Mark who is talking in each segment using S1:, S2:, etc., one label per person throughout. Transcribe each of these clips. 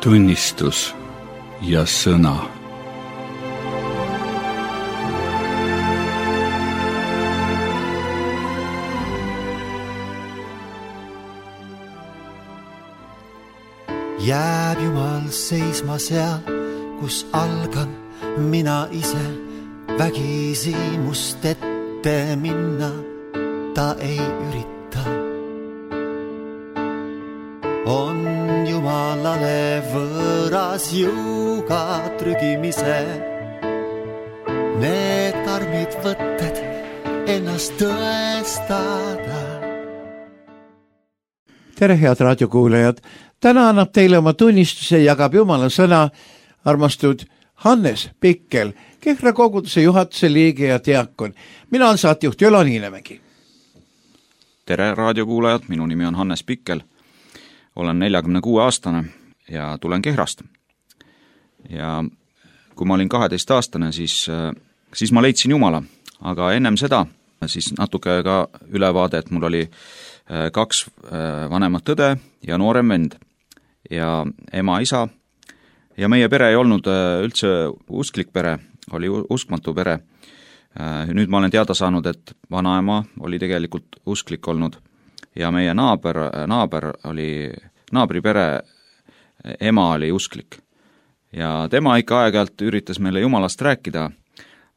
S1: tunnistus ja sõna.
S2: Jääb Jumal seisma seal, kus algan mina ise, vägisi must ette minna ta ei ürita. On Jumalale võõras jõuga trügimise, need karmid võtted ennast tõestada.
S3: Tere, head raadiokuulajad! Täna annab teile oma tunnistuse jagab Jumala sõna armastud Hannes Pikkel, Kehra koguduse juhatuse liige ja diakon. Mina olen saatejuht Jolo Niinemägi.
S4: Tere, raadiokuulajad! Minu nimi on Hannes Pikkel. Olen 46-aastane ja tulen Kehrast. Ja kui ma olin 12-aastane, siis ma leidsin Jumala. Aga ennem seda siis natuke ka ülevaade, et mul oli 2 vanemat õde ja noorem vend. Ja ema, isa. Ja meie pere ei olnud üldse usklik pere, oli uskmatu pere. Nüüd ma olen teada saanud, et vanaema oli tegelikult usklik olnud. Ja meie naabri pere ema oli usklik. Ja tema ikka aeg-ajalt üritas meile Jumalast rääkida,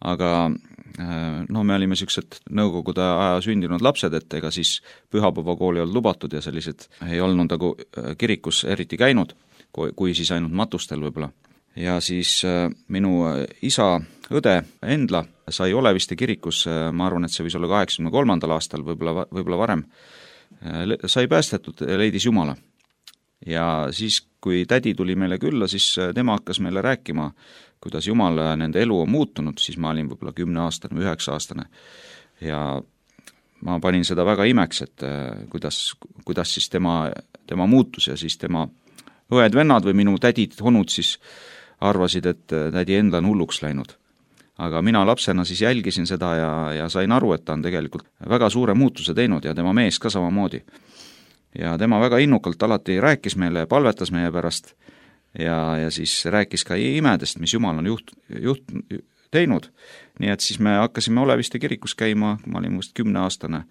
S4: aga me olime sellised nõukogude aja sündinud lapsed, et ega siis pühapäevakooli olnud lubatud ja sellised ei olnud nagu kirikus eriti käinud, kui siis ainult matustel võib-olla. Ja siis minu isa õde Endla sai Oleviste kirikus, ma arvan, et see võis olla 83. aastal, võib-olla varem, sai päästetud ja leidis Jumala. Ja siis, kui tädi tuli meile külla, siis tema hakkas meile rääkima, kuidas Jumal nende elu on muutunud, siis ma olin võib-olla 10-aastane või 9-aastane. Ja ma panin seda väga imeks, et kuidas siis tema muutus ja siis tema õed-vennad või minu tädid-honud siis arvasid, et tädi Endla on hulluks läinud. Aga mina lapsena siis jälgisin seda ja sain aru, et ta on tegelikult väga suure muutuse teinud ja tema mees ka samamoodi. Ja tema väga innukalt alati rääkis meile ja palvetas meie pärast ja siis rääkis ka imedest, mis Jumal on teinud. Nii et siis me hakkasime Oleviste kirikus käima, ma olin must 10-aastane.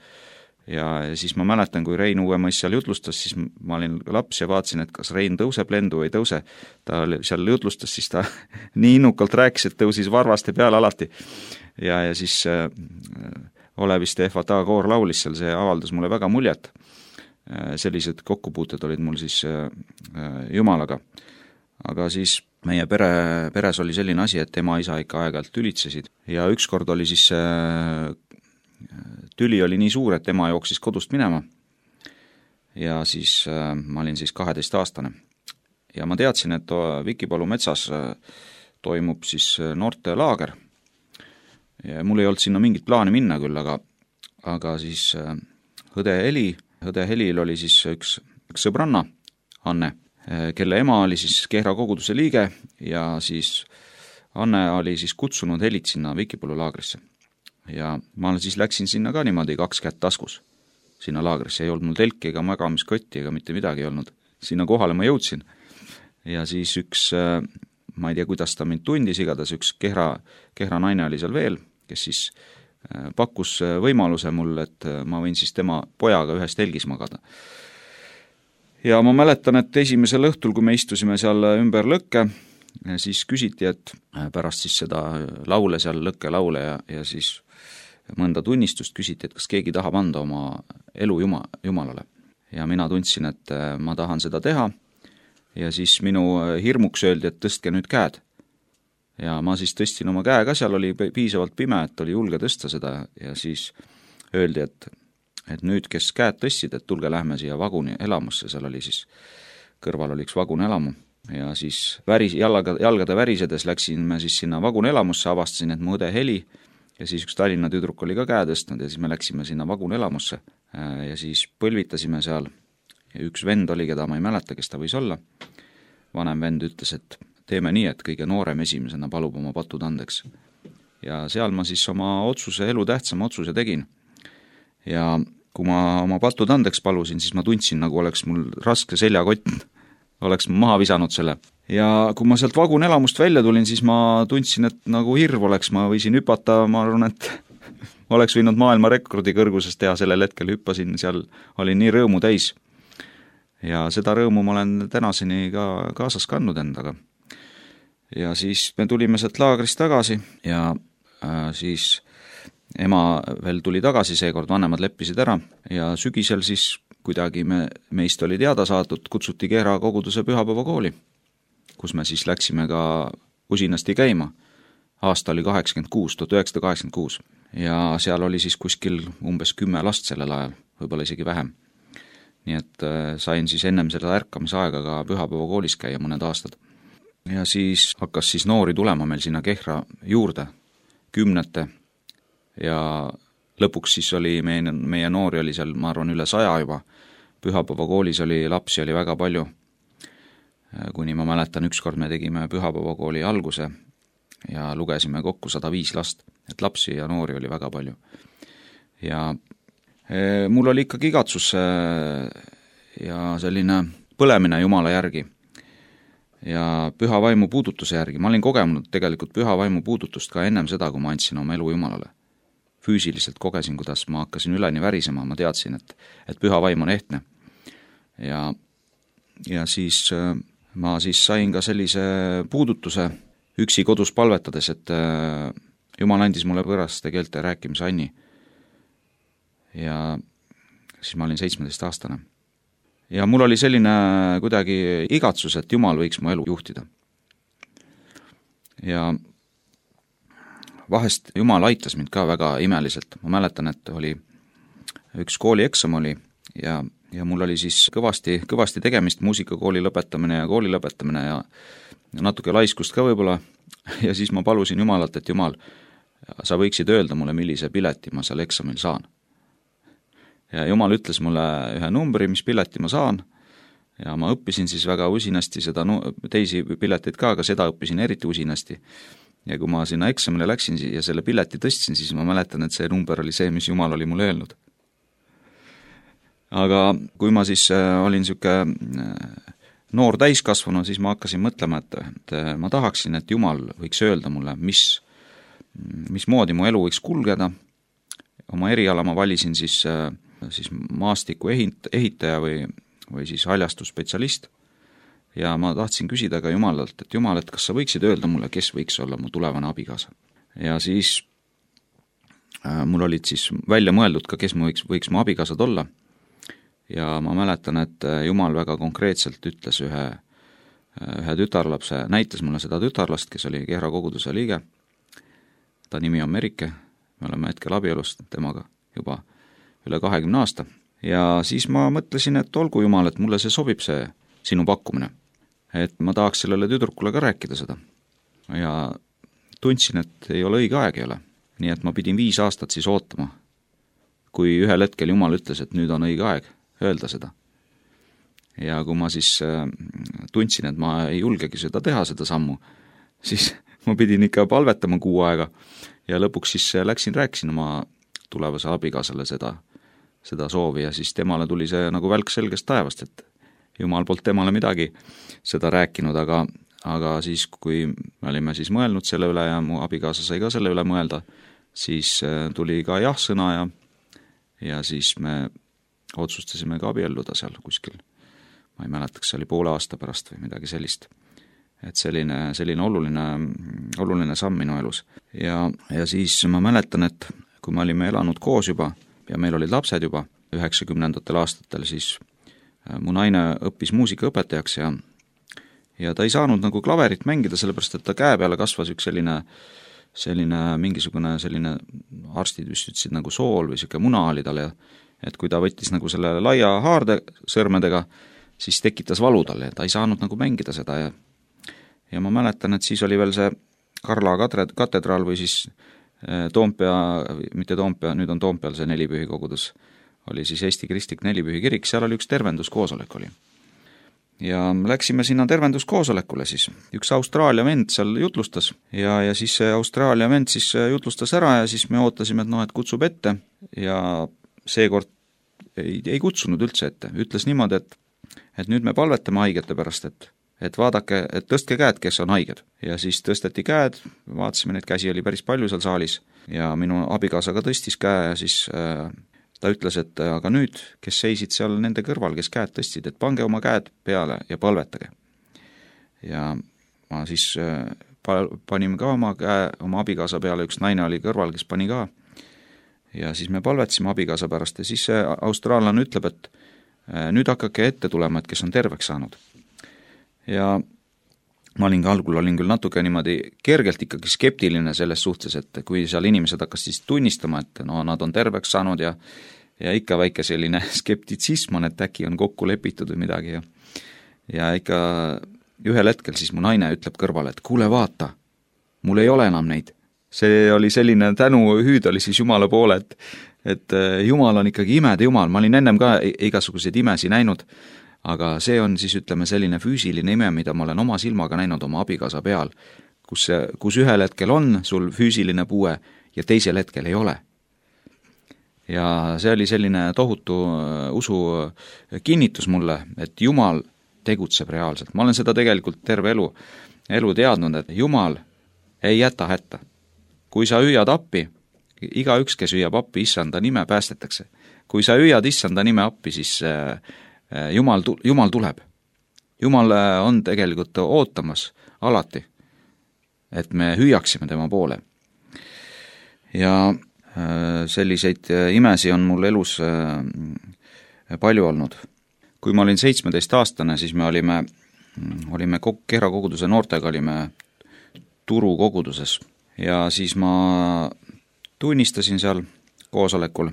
S4: Ja siis ma mäletan, kui Rein Uuemõis seal jutlustas, siis ma olin laps ja vaatasin, et kas Rein tõuseb lendu või ei tõuse. Ta seal jutlustas, siis ta nii innukalt rääkis, et tõusis varvaste peale alati. Ja siis Oleviste FATA koor laulis seal, see avaldas mulle väga muljet. Sellised kokkupuuted olid mul siis Jumalaga. Aga siis meie peres oli selline asi, et ema isa ikka aeg-ajalt tülitsesid. Ja ükskord oli siis tüli oli nii suur, et ema jooksis kodust minema. Ja siis ma olin siis 12-aastane. Ja ma teadsin, et Vikipalu metsas toimub siis noorte laager. Ja mul ei olnud sinna mingit plaani minna küll, aga siis õde Helil oli siis üks sõbranna, Anne, kelle ema oli siis Kehra koguduse liige ja siis Anne oli siis kutsunud Helit sinna Vikipalu laagrisse. Ja ma siis läksin sinna ka niimoodi 2 kätt taskus sinna laagrisse. Ei olnud mul telki ega magamiskotti ega mitte midagi ei olnud. Sinna kohale ma jõudsin. Ja siis üks, ma ei tea, kuidas ta mind tundis, igatahes üks Kehra naine oli seal veel, kes siis pakkus võimaluse mulle, et ma võin siis tema pojaga ühes telgis magada. Ja ma mäletan, et esimesel õhtul, kui me istusime seal ümber lõkke, siis küsiti, et pärast siis seda laule seal, lõkke laule ja siis mõnda tunnistust küsiti, et kas keegi tahab anda oma elu Jumalale. Ja mina tundsin, et ma tahan seda teha ja siis minu hirmuks öeldi, et tõstke nüüd käed. Ja ma siis tõstin oma käe ka, seal oli piisavalt pime, et oli julge tõsta seda ja siis öeldi, et nüüd, kes käed tõstsid, et tulge lähme siia vaguni elamusse, seal oli siis, kõrval oli üks vagun elamu ja siis jalgade värisedes läksin me siis sinna vagun elamusse, avastasin, et mu õde Heli ja siis üks Tallinna tüdruk oli ka käe tõstnud ja siis me läksime sinna vagun elamusse ja siis põlvitasime seal ja üks vend oli, keda ma ei mäleta, kes ta võis olla. Vanem vend ütles, et teeme nii, et kõige noorem esimesena palub oma patud andeks. Ja seal ma siis oma elu tähtsama otsuse tegin. Ja kui ma oma patud andeks palusin, siis ma tundsin, nagu oleks mul raske seljakott oleks maha visanud selle. Ja kui ma sealt vagunelamust välja tulin, siis ma tundsin, et nagu hirv oleks, ma võisin hüpata, ma arvan, et oleks võinud maailmarekordi kõrguses teha sellel hetkel, hüppasin seal, olin nii rõõmu täis. Ja seda rõõmu ma olen tänaseni ka kaasas kandnud endaga. Ja siis me tulime sealt laagrist tagasi ja siis ema veel tuli tagasi, seekord vanemad leppisid ära ja sügisel siis kuidagi meist oli teada saadud, kutsuti Kehra koguduse pühapäevakooli, kus me siis läksime ka usinasti käima. Aasta oli 1986 ja seal oli siis kuskil umbes 10 last sellel ajal, võib-olla isegi vähem. Nii et sain siis ennem seda ärkamise aega ka pühapäevakoolis käia mõned aastad. Ja siis hakkas siis noori tulema meil sinna Kehra juurde, 10 ja lõpuks siis oli meie noori oli seal, ma arvan, üle 100 juba. Pühapäevakoolis oli lapsi oli väga palju, kuni ma mäletan, ükskord me tegime pühapäevakooli alguse ja lugesime kokku 105 last, et lapsi ja noori oli väga palju. Ja mul oli ikkagi igatsus ja selline põlemine Jumala järgi ja püha vaimu puudutuse järgi. Ma olin kogenud tegelikult püha vaimu puudutust ka ennem seda, kui ma andsin oma elu Jumalale. Füüsiliselt kogesin, kuidas ma hakkasin üleni värisema, ma teadsin, et püha vaim on ehtne. Ja siis ma siis sain ka sellise puudutuse üksi kodus palvetades, et Jumal andis mulle võõraste keelte rääkimise anni. Ja siis ma olin 17-aastane. Ja mul oli selline kuidagi igatsus, et Jumal võiks mu elu juhtida. Ja vahest Jumal aitas mind ka väga imeliselt. Ma mäletan, et oli üks koolieksam oli ja mul oli siis kõvasti tegemist, muusikakooli lõpetamine ja kooli lõpetamine ja natuke laiskust ka võib-olla. Ja siis ma palusin Jumalalt, et Jumal, sa võiksid öelda mulle, millise pileti ma seal eksamil saan. Ja Jumal ütles mulle ühe numbri, mis pileti ma saan ja ma õppisin siis väga usinasti seda teisi pileteid ka, aga seda õppisin eriti usinasti. Ja kui ma sinna eksamile läksin ja selle pileti tõstsin, siis ma mäletan, et see number oli see, mis Jumal oli mulle öelnud. Aga kui ma siis olin siuke noor täiskasvanu, siis ma hakkasin mõtlema, et ma tahaksin, et Jumal võiks öelda mulle, mismoodi mu elu võiks kulgeda. Oma eriala ma valisin siis maastiku ehitaja või siis haljastusspetsialist. Ja ma tahtsin küsida ka Jumalalt, et Jumal, et kas sa võiksid öelda mulle, kes võiks olla mu tulevane abikaasa. Ja siis mul olid siis välja mõeldud ka, kes võiks mu abikaasad olla. Ja ma mäletan, et Jumal väga konkreetselt ütles ühe tütarlapse, näitas mulle seda tütarlast, kes oli Kehra koguduse liige. Ta nimi on Merike, me oleme hetkel abielust temaga juba üle 20 aasta. Ja siis ma mõtlesin, et olgu Jumal, et mulle see sobib see sinu pakkumine. Et ma tahaks sellele tüdrukule ka rääkida seda. Ja tundsin, et ei ole õige aeg ei ole. Nii et ma pidin 5 aastat siis ootama, kui ühel hetkel Jumal ütles, et nüüd on õige aeg öelda seda. Ja kui ma siis tundsin, et ma ei julgegi seda teha, seda sammu, siis ma pidin ikka palvetama 6 aega ja lõpuks siis rääkisin oma tulevase abikaasale seda soovi ja siis temale tuli see nagu välk selgest taevast, et Jumal poolt temale midagi seda rääkinud, aga siis, kui me olime siis mõelnud selle üle ja mu abikaasa sai ka selle üle mõelda, siis tuli ka jah-sõna ja siis me otsustasime ka abielluda seal kuskil. Ma ei mäleta, kas see oli poole aasta pärast või midagi sellist. Et selline oluline samm minu elus. Ja siis ma mäletan, et kui me olime elanud koos juba ja meil olid lapsed juba 90-ndatel aastatel, siis mu naine õppis muusikaõpetajaks ja ta ei saanud nagu klaverit mängida, sellepärast et ta käe peale kasvas üks selline mingisugune selline arstid vist ütlesid nagu sool või siuke muna oli tal ja et kui ta võttis nagu selle laia haarde sõrmedega, siis tekitas valu talle ja ta ei saanud nagu mängida seda ja ma mäletan, et siis oli veel see Karla katedraal või siis mitte Toompea, nüüd on Toompeal see Nelipühi kogudus, oli siis Eesti Kristlik Nelipühi kirik, seal oli üks tervenduskoosolek oli. Ja läksime sinna tervenduskoosolekule siis. Üks Austraalia vend seal jutlustas ja siis see Austraalia vend siis jutlustas ära ja siis me ootasime, et kutsub ette ja seekord ei kutsunud üldse ette. Ütles niimoodi, et nüüd me palvetame haigete pärast, et vaadake, et tõstke käed, kes on haiged. Ja siis tõsteti käed, vaatasime, neid käsi oli päris palju seal saalis ja minu abikaasa ka tõstis käe ja siis ta ütles, et aga nüüd, kes seisid seal nende kõrval, kes käed tõstsid, et pange oma käed peale ja palvetage. Ja ma siis panime ka oma käe oma abikaasa peale, üks naine oli kõrval, kes pani ka. Ja siis me palvetasime abikaasa pärast ja siis see austraallane ütleb, et nüüd hakake ette tulema, et kes on terveks saanud. Ja ma algul olin küll natuke niimoodi kergelt ikkagi skeptiline selles suhtes, et kui seal inimesed hakkas siis tunnistama, et no nad on terveks saanud ja ikka väike selline skeptitsism on, et äkki on kokku lepitud või midagi. Ja ikka ühel hetkel siis mu naine ütleb kõrvale, et kuule vaata, mul ei ole enam neid. See oli selline tänuhüüd oli siis Jumala poole, et Jumal on ikkagi imede Jumal. Ma olin ennem ka igasuguseid imesi näinud, aga see on siis ütleme selline füüsiline ime, mida ma olen oma silmaga näinud oma abikaasa peal, kus ühel hetkel on sul füüsiline puue ja teisel hetkel ei ole. Ja see oli selline tohutu usu kinnitus mulle, et Jumal tegutseb reaalselt. Ma olen seda tegelikult terve elu teadnud, et Jumal ei jäta hätta. Kui sa hüüad appi, igaüks, kes hüüab appi issanda nime, päästetakse. Kui sa hüüad issanda nime appi, siis Jumal tuleb. Jumal on tegelikult ootamas alati, et me hüüaksime tema poole. Ja selliseid imesi on mul elus palju olnud. Kui ma olin 17-aastane, siis me olime Kehra koguduse noortega olime Turu koguduses ja siis ma tunnistasin seal koosolekul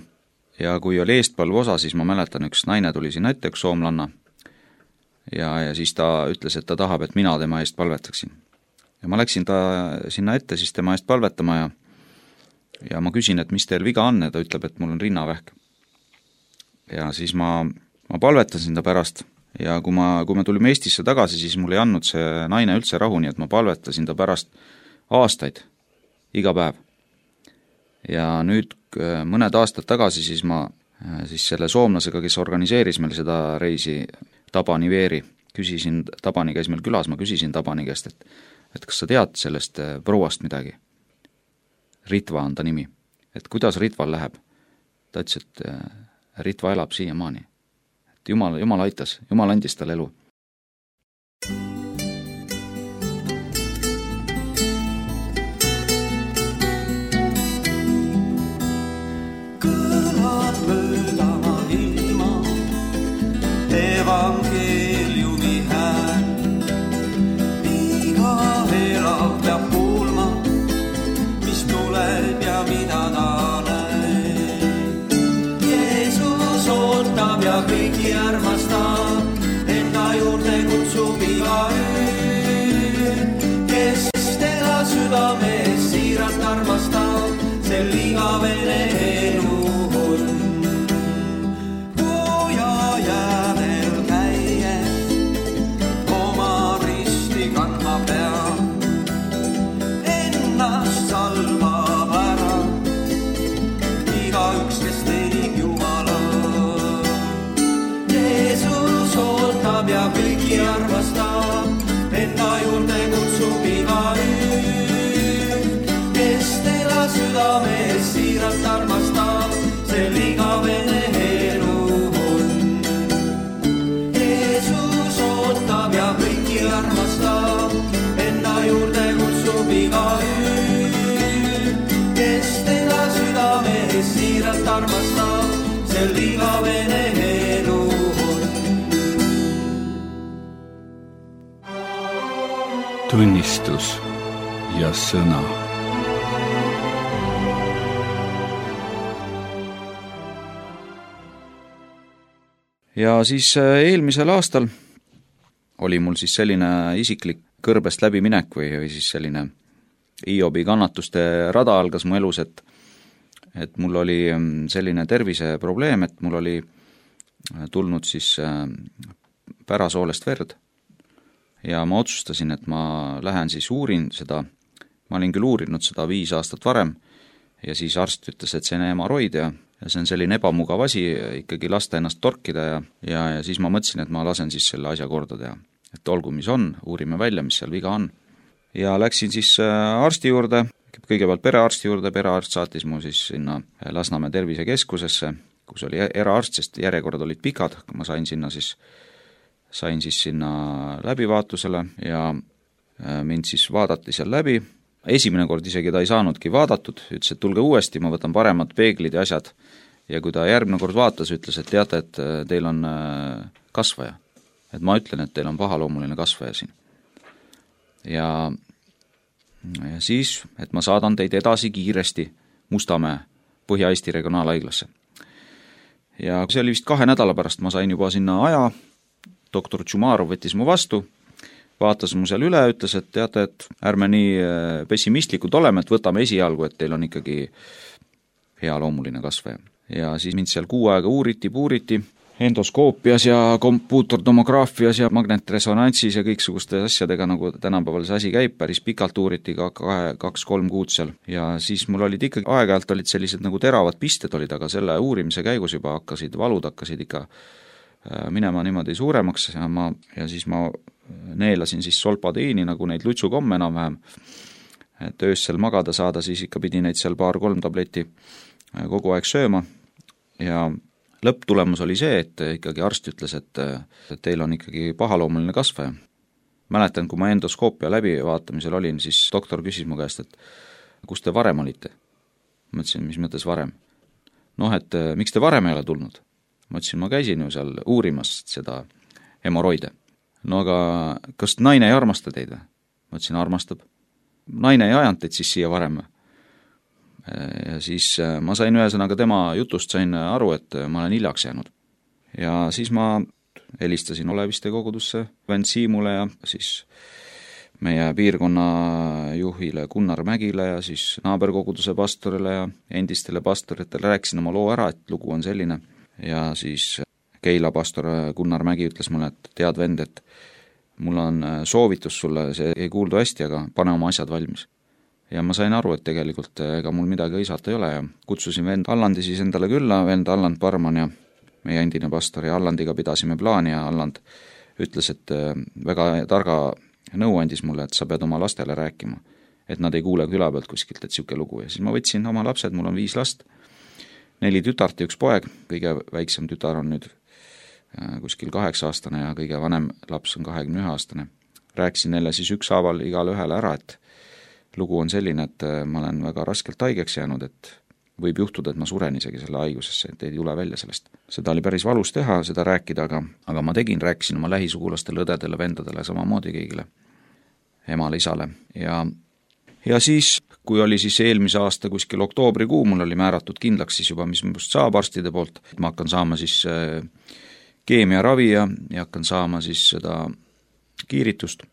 S4: ja kui oli eestpalve osa, siis ma mäletan, üks naine tuli sinna ette, üks soomlanna ja siis ta ütles, et ta tahab, et mina tema eest palvetaksin. Ja ma läksin ta sinna ette siis tema eest palvetama ja ma küsin, et mis teil viga on ja ta ütleb, et mul on rinnavähk. Ja siis ma palvetasin ta pärast ja kui me tulime Eestisse tagasi, siis mul ei andnud see naine üldse rahu, nii et ma palvetasin ta pärast aastaid, iga päev. Ja nüüd mõned aastad tagasi siis ma selle soomlasega, kes organiseeris meil seda reisi Tabani Veeri, Tabani käis meil külas, ma küsisin Tabani käest, et kas sa tead sellest prouast midagi? Ritva on ta nimi. Et kuidas Ritval läheb? Ta ütles, et Ritva elab siiamaani. Et Jumal aitas, Jumal andis tal elu.
S2: Kõlad mööda ilma, evangeeliumi hääl. Iga elav peab kuulma, mis tuleb ja mida ta näeb. Jeesus ootab ja kõiki armastab, enda juurde kutsub igaüht, kes teda südames siiralt armastab, sel igavene elu on. Puuja jäävel käies, oma risti kandma peab, ennast salvab ära, igaüks, kes teenib Jumala. Jeesus ootab ja kõiki armastab, enda juurde kutsub igaüht, kes teda südames siiralt armastab, sel igavene elu on. Jeesus ootab ja kõiki armastab, enda juurde kutsub igaüht, kes teda südames siiralt armastab, sel igavene elu on.
S1: Tunnistus ja sõna.
S4: Ja siis eelmisel aastal oli mul siis selline isiklik kõrbest läbiminek või siis selline Hiobi kannatuste rada algas mu elus, et mul oli selline terviseprobleem, et mul oli tulnud siis pärasoolest verd ja ma otsustasin, et ma lähen siis uurin seda, ma olin küll uurinud seda 5 aastat varem ja siis arst ütles, et see on hemoroid ja see on selline ebamugav asi ikkagi lasta ennast torkida ja siis ma mõtlesin, et ma lasen siis selle asja korda teha. Et olgu, mis on, uurime välja, mis seal viga on. Ja läksin siis arsti juurde, kõigepealt perearsti juurde, perearst saatis mu siis sinna Lasnamäe tervisekeskusesse, kus oli eraarst, sest järjekorrad olid pikad, ma sain siis sinna läbivaatusele ja mind siis vaadati seal läbi. Esimene kord isegi ta ei saanudki vaadatud, ütles, et tulge uuesti, ma võtan paremad peeglid ja asjad. Ja kui ta järgmine kord vaatas, ütles, et teate, et teil on kasvaja. Et ma ütlen, et teil on pahaloomuline kasvaja siin. Ja siis, et ma saadan teid edasi kiiresti Mustamäe Põhja-Eesti regionaalhaiglasse. Ja see oli vist 2 nädala pärast, ma sain juba sinna aja, doktor Tšumarov võttis mu vastu, vaatas mu seal üle, ütles, et teate, et ärme nii pessimistlikud oleme, et võtame esialgu, et teil on ikkagi hea loomuline kasvaja. Ja siis mind seal 6 aega puuriti, endoskoopias ja kompuutortomograafias ja magnetresonantsis ja kõiksuguste asjadega, nagu tänapäeval see asi käib, päris pikalt uuriti ka 2-3 kuud seal. Ja siis mul olid ikkagi aeg-ajalt olid sellised nagu teravad pisted olid, aga selle uurimise käigus juba valud hakkasid ikka minema niimoodi suuremaks ja siis ma neelasin siis solpadiini, nagu neid lutsukomme enam-vähem, et öössel magada saada, siis ikka pidi neid seal 2-3 tableti kogu aeg sööma ja lõpptulemus oli see, et ikkagi arst ütles, et teil on ikkagi pahaloomuline kasvaja. Mäletan, kui ma endoskoopia läbivaatamisel olin, siis doktor küsis mu käest, et kus te varem olite? Ma ütlesin, mis mõttes varem? Et miks te varem ei ole tulnud? Ma ütlesin, ma käisin ju seal uurimas seda hemoroide. Aga kas naine ei armasta teid või? Ma ütlesin, armastab. Naine ei ajanud teid siis siia varem. Ja siis ma sain ühesõnaga tema jutust sain aru, et ma olen hiljaks jäänud. Ja siis ma helistasin Oleviste kogudusse, vend Siimule ja siis meie piirkonna juhile Gunnar Mägile ja siis naaberkoguduse pastorile ja endistele pastoritele rääkisin oma loo ära, et lugu on selline. Ja siis Keila pastor Gunnar Mägi ütles mulle, et tead vend, et mul on soovitus sulle, see ei kuuldu hästi, aga pane oma asjad valmis. Ja ma sain aru, et tegelikult ega mul midagi õisata ei ole ja kutsusin vend Allandi siis endale külla, vend Alland Parman ja meie endine pastor ja Allandiga pidasime plaani ja Alland ütles, et väga targa nõu andis mulle, et sa pead oma lastele rääkima, et nad ei kuule küla pealt kuskilt, et siuke lugu. Ja siis ma võtsin oma lapsed, mul on 5 last, 4 tütart ja 1 poeg, kõige väiksem tütar on nüüd kuskil 8-aastane ja kõige vanem laps on 21-aastane. Rääkisin neile siis ükshaaval igale ühele ära, et lugu on selline, et ma olen väga raskelt haigeks jäänud, et võib juhtuda, et ma suren isegi selle haigusesse, et ei tule välja sellest. Seda oli päris valus teha, seda rääkida, aga ma rääkisin oma lähisugulastele, õdedele, vendadele, samamoodi kõigile, emale, isale. Ja siis, kui oli siis eelmise aasta kuskil oktoobrikuu, mul oli määratud kindlaks siis juba, mis must saab arstide poolt, et ma hakkan saama siis keemiaravi ja hakkan saama siis seda kiiritust,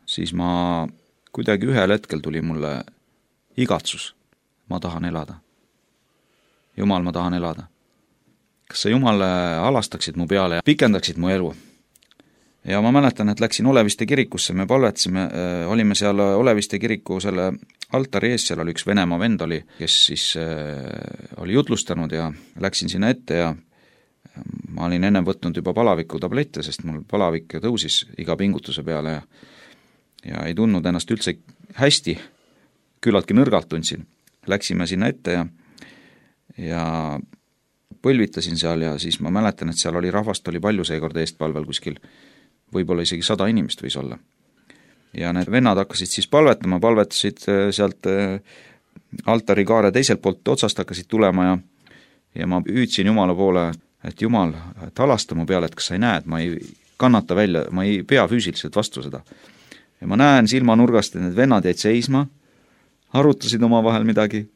S4: siis ma kuidagi ühel hetkel tuli mulle igatsus. Ma tahan elada. Jumal, ma tahan elada. Kas sa Jumal alastaksid mu peale ja pikendaksid mu elu? Ja ma mäletan, et läksin Oleviste kirikusse, me palvetasime, olime seal Oleviste kiriku selle altari ees, seal oli üks Venemaa vend oli, kes siis oli jutlustanud ja läksin sinna ette ja ma olin enne võtnud juba palaviku tablette, sest mul palavik tõusis iga pingutuse peale ja ei tundnud ennast üldse hästi, küllaltki nõrgalt tundsin. Läksime sinna ette ja põlvitasin seal ja siis ma mäletan, et seal oli rahvast oli palju seekord eestpalvel kuskil, võib-olla isegi 100 inimest võis olla. Ja need vennad hakkasid siis palvetasid sealt altari kaare teiselt poolt otsast hakkasid tulema ja ma hüüdsin Jumala poole, et Jumal, et alasta mu peale, et kas sa ei näe, et ma ei kannata välja, ma ei pea füüsiliselt vastu seda. Ja ma näen silmanurgast, et need vennad jäid seisma, arutasid oma vahel midagi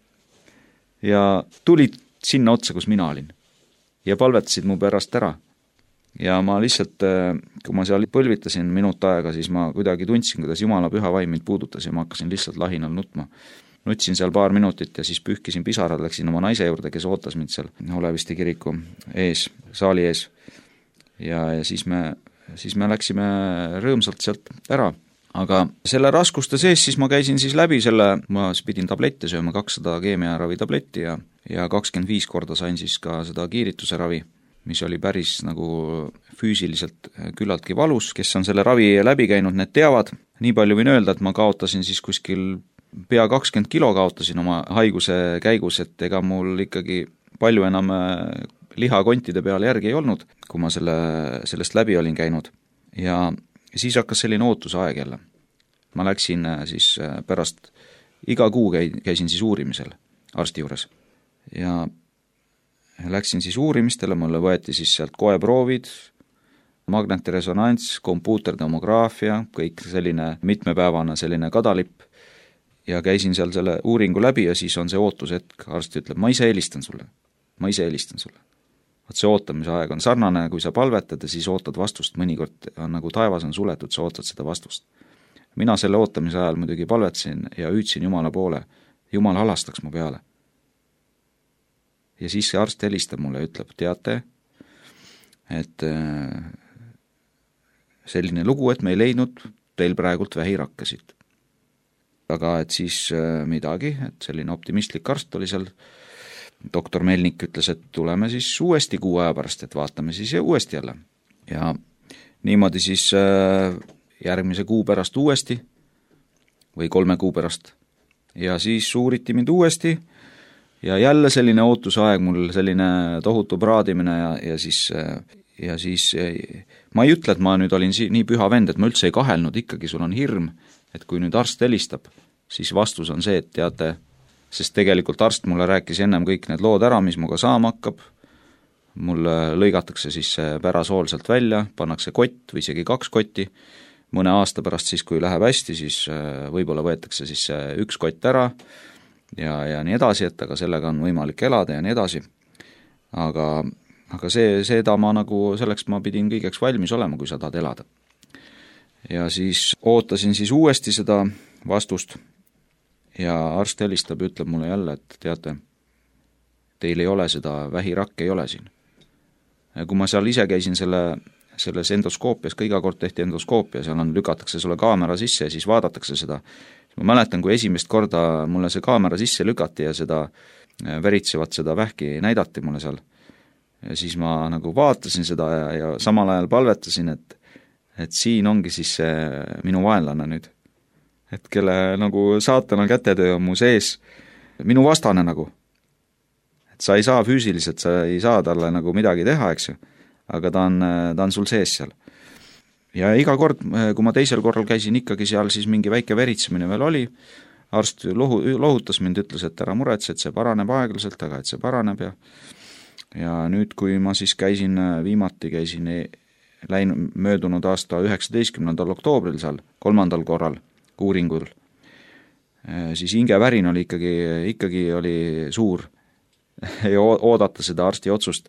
S4: ja tulid sinna otsa, kus mina olin ja palvetasid mu pärast ära. Ja ma lihtsalt, kui ma seal põlvitasin minut aega, siis ma kuidagi tundsin, kuidas Jumala püha vaim mind puudutas ja ma hakkasin lihtsalt lahinal nutma. Nutsin seal paar minutit ja siis pühkisin pisarad, läksin oma naise juurde, kes ootas mind seal Oleviste kiriku ees, saali ees. Ja siis me läksime rõõmsalt sealt ära. aga selle raskuste sees siis ma käisin siis läbi selle, ma pidin tablette sööma, 200 keemiaravi tabletti ja 25 korda sain siis ka seda kiirituse ravi, mis oli päris nagu füüsiliselt küllaltki valus, kes on selle ravi läbi käinud, need teavad. Nii palju võin öelda, et ma kaotasin siis kuskil pea 20 kilo kaotasin oma haiguse käigus, et ega mul ikkagi palju enam lihakontide peale järgi ei olnud, kui ma sellest läbi olin käinud. Ja siis hakkas selline ootusaeg jälle. Ma läksin siis pärast, iga kuu käisin siis uurimisel arsti juures. Ja läksin siis uurimistele, mulle võeti siis sealt koeproovid, magnetresonants, kompuutertomograafia, kõik selline mitmepäevane selline kadalipp. Ja käisin seal selle uuringu läbi ja siis on see ootushetk, arst ütleb, ma ise helistan sulle. Vaat see ootamise aeg on sarnane, kui sa palvetad ja siis ootad vastust, mõnikord on nagu taevas on suletud, sa ootad seda vastust. Mina selle ootamise ajal muidugi palvetasin ja hüüdsin Jumala poole, Jumal halastaks mu peale. Ja siis see arst helistab mulle ja ütleb, teate, et selline lugu, et me ei leidnud teil praegult vähirakkasid. Aga et siis midagi, et selline optimistlik arst oli seal, doktor Melnik ütles, et tuleme siis uuesti 6 aja pärast, et vaatame siis uuesti jälle. Ja niimoodi siis järgmise kuu pärast uuesti või 3 kuu pärast. Ja siis uuriti mind uuesti ja jälle selline ootusaeg, mul selline tohutu praadimine ja siis ma ei ütle, et ma nüüd olin nii püha vend, et ma üldse ei kahelnud, ikkagi sul on hirm, et kui nüüd arst helistab, siis vastus on see, et teate, sest tegelikult arst mulle rääkis ennem kõik need lood ära, mis muga saama hakkab, mul lõigatakse siis see pärasool sealt välja, pannakse kott või isegi 2 kotti, mõne aasta pärast siis, kui läheb hästi, siis võib-olla võetakse siis 1 kott ära ja nii edasi, et aga sellega on võimalik elada ja nii edasi. Aga seda ma nagu, selleks ma pidin kõigeks valmis olema, kui sa tahad elada. Ja siis ootasin siis uuesti seda vastust ja arst helistab ja ütleb mulle jälle, et teate, teil ei ole seda vähirakke, ei ole siin. Ja kui ma seal ise käisin selles endoskoopias, ka iga kord tehti endoskoopia, seal lükatakse sulle kaamera sisse ja siis vaadatakse seda. Ma mäletan, kui esimest korda mulle see kaamera sisse lükati ja seda veritsevat seda vähki näidati mulle seal. Ja siis ma nagu vaatasin seda ja samal ajal palvetasin, et siin ongi siis see minu vaenlane nüüd. Et kelle nagu saatana kätetöö on mu sees, minu vastane nagu. Et sa ei saa füüsiliselt, sa ei saa talle nagu midagi teha, eks ju, aga ta on sul sees seal. Ja iga kord, kui ma teisel korral käisin ikkagi seal, siis mingi väike veritsemine veel oli, arst lohutas mind, ütles, et ära muretse, et see paraneb aeglaselt, aga et see paraneb ja nüüd, kui ma siis viimati käisin möödunud aasta 19. oktoobril seal, 3. korral uuringul, siis hingevärin oli ikkagi oli suur ja oodata seda arsti otsust.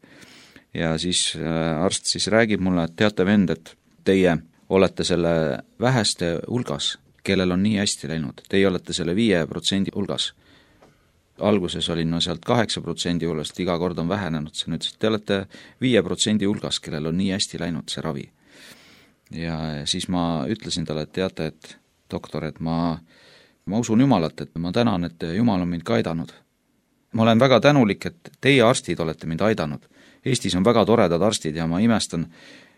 S4: Ja siis arst siis räägib mulle, et teate vend, et teie olete selle väheste hulgas, kellel on nii hästi läinud. Teie olete selle 5% hulgas. Alguses olin sealt 8% hulgast, iga kord on vähenenud. See nüüd, te olete 5% hulgas, kellel on nii hästi läinud see ravi. Ja siis ma ütlesin talle, et teate, et doktor, et ma usun Jumalat, et ma tänan, et Jumal on mind ka aidanud. Ma olen väga tänulik, et teie arstid olete mind aidanud. Eestis on väga toredad arstid ja ma imestan,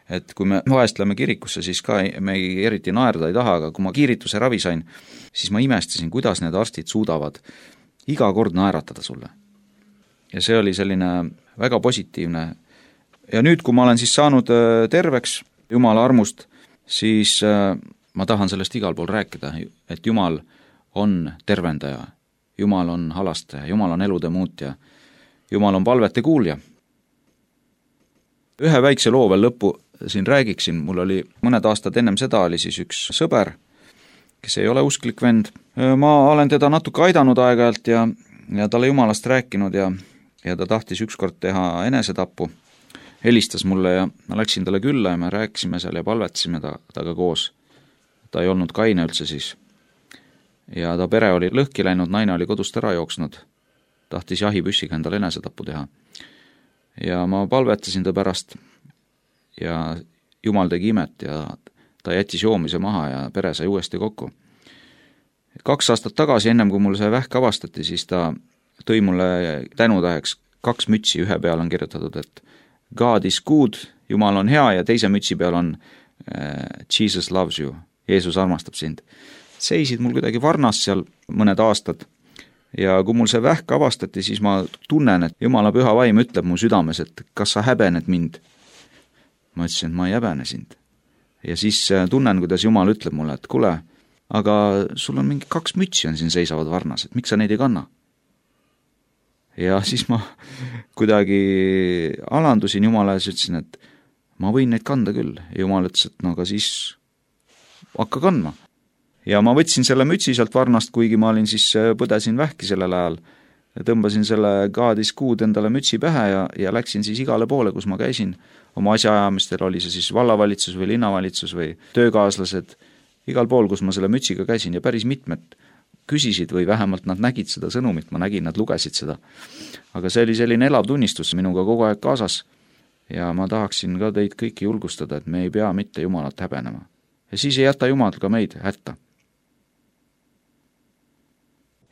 S4: et kui me vahest lähme kirikusse, siis ka me eriti naerda ei taha, aga kui ma kiirituse ravi sain, siis ma imestasin, kuidas need arstid suudavad iga kord naeratada sulle. Ja see oli selline väga positiivne. Ja nüüd, kui ma olen siis saanud terveks Jumala armust, siis ma tahan sellest igal pool rääkida, et Jumal on tervendaja, Jumal on halastaja, Jumal on elude muutja, Jumal on palvete kuulja. Ühe väikse loo veel lõppu siin räägiksin, mul oli mõned aastad ennem seda oli siis üks sõber, kes ei ole usklik vend. Ma olen teda natuke aidanud aeg-ajalt ja talle Jumalast rääkinud ja ta tahtis ükskord teha enesetapu. Helistas mulle ja ma läksin talle külla ja me rääkisime seal ja palvetasime taga koos. Ta ei olnud kaine üldse siis. Ja ta pere oli lõhki läinud, naine oli kodust ära jooksnud. Tahtis jahipüssiga endale enesetapu teha. Ja ma palvetasin ta pärast ja Jumal tegi imet ja ta jättis joomise maha ja pere sai uuesti kokku. 2 aastat tagasi, ennem kui mul see vähk avastati, siis ta tõi mulle tänutäheks 2 mütsi, ühe peal on kirjutatud, et God is good, Jumal on hea, ja teise mütsi peal on Jesus loves you, Jeesus armastab sind. Seisid mul kuidagi varnas seal mõned aastad ja kui mul see vähk avastati, siis ma tunnen, et Jumala püha vaim ütleb mu südames, et kas sa häbened mind? Ma ütlesin, et ma ei häbene sind. Ja siis tunnen, kuidas Jumal ütleb mulle, et kuule, aga sul on mingi 2 mütsi on siin seisavad varnas, et miks sa neid ei kanna? Ja siis ma kuidagi alandusin Jumala ja ütlesin, et ma võin neid kanda küll. Ja Jumal ütles, et no aga siis hakka kandma. Ja ma võtsin selle mütsi sealt varnast, kuigi ma olin siis, põdesin vähki sellel ajal. Tõmbasin selle God is good endale mütsi pähe ja läksin siis igale poole, kus ma käisin. Oma asjaajamistel oli see siis vallavalitsus või linnavalitsus või töökaaslased. Igal pool, kus ma selle mütsiga käisin ja päris mitmed küsisid või vähemalt nad nägid seda sõnumit, ma nägin, nad lugesid seda. Aga see oli selline elav tunnistus minuga kogu aeg kaasas ja ma tahaksin ka teid kõiki julgustada, et me ei pea mitte Jumalat häbenema. Ja siis ei jäta Jumal ka meid hätta.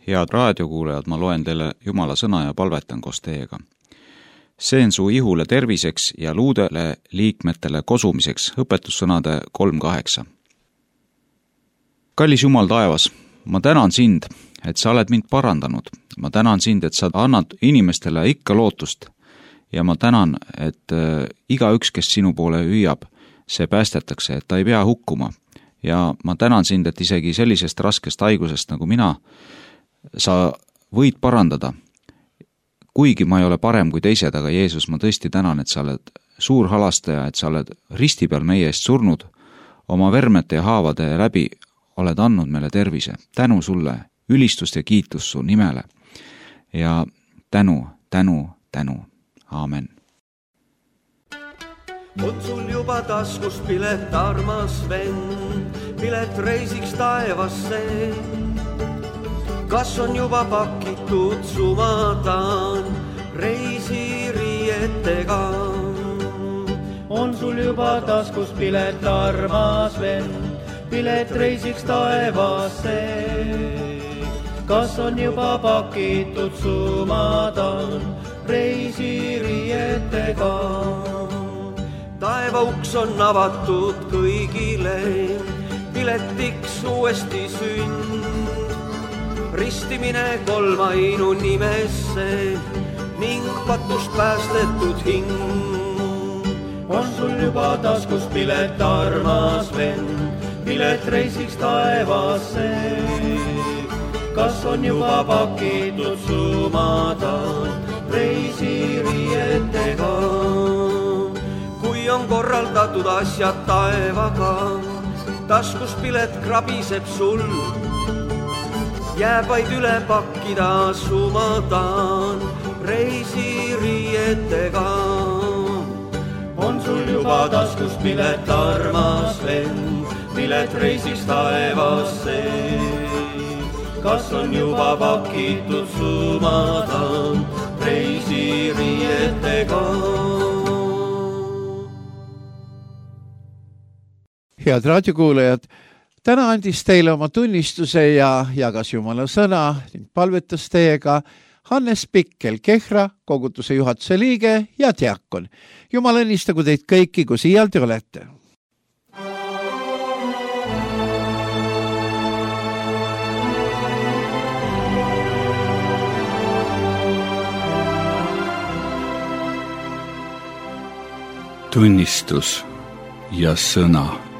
S4: Head raadiokuulajad, ma loen teile Jumala sõna ja palvetan koos teiega. See on su ihule terviseks ja luudele liikmetele kosumiseks, õpetussõnade 3.8. Kallis Jumal taevas, ma tänan sind, et sa oled mind parandanud. Ma tänan sind, et sa annad inimestele ikka lootust. Ja ma tänan, et igaüks, kes sinu poole hüüab, see päästetakse, et ta ei pea hukkuma. Ja ma tänan sind, et isegi sellisest raskest haigusest nagu mina, sa võid parandada. Kuigi ma ei ole parem kui teised, aga Jeesus, ma tõesti tänan, et sa oled suur halastaja, et sa oled risti peal meie eest surnud, oma vermete ja haavade läbi oled andnud meile tervise. Tänu sulle, ülistust ja kiitus su nimele. Ja tänu. Aamen.
S2: On sul juba taskus pilet, armas vend, pilet reisiks taevasse? Kas on juba pakitud sumadan reisiriietega?
S5: On sul juba taskus pilet, armas vend, pilet reisiks taevasse? Kas on juba pakitud sumadan reisiriietega?
S2: Taeva uks on avatud kõigile, piletiks uuesti sünd. Ristimine kolmainu nimesse ning patust päästetud hing.
S5: On sul juba taskus pilet, armas vend, pilet reisiks taevasse? Kas on juba pakitud sumadan reisiriietega?
S2: Kui on korraldatud asjad taevaga, taskus pilet krabiseb sul, jääb vaid üle pakkida sumadan reisiriietega.
S5: On sul juba taskus pilet, armas vend, pilet reisiks taevasse? Kas on juba pakitud sumadan reisiriietega?
S3: Head raadiokuulajad, täna andis teile oma tunnistuse ja jagas Jumala sõna ning palvetas teiega Hannes Pikkel, Kehra koguduse juhatuse liige ja diakon. Jumal õnnistagu teid kõiki, kui siial te olete.
S1: Tunnistus ja sõna.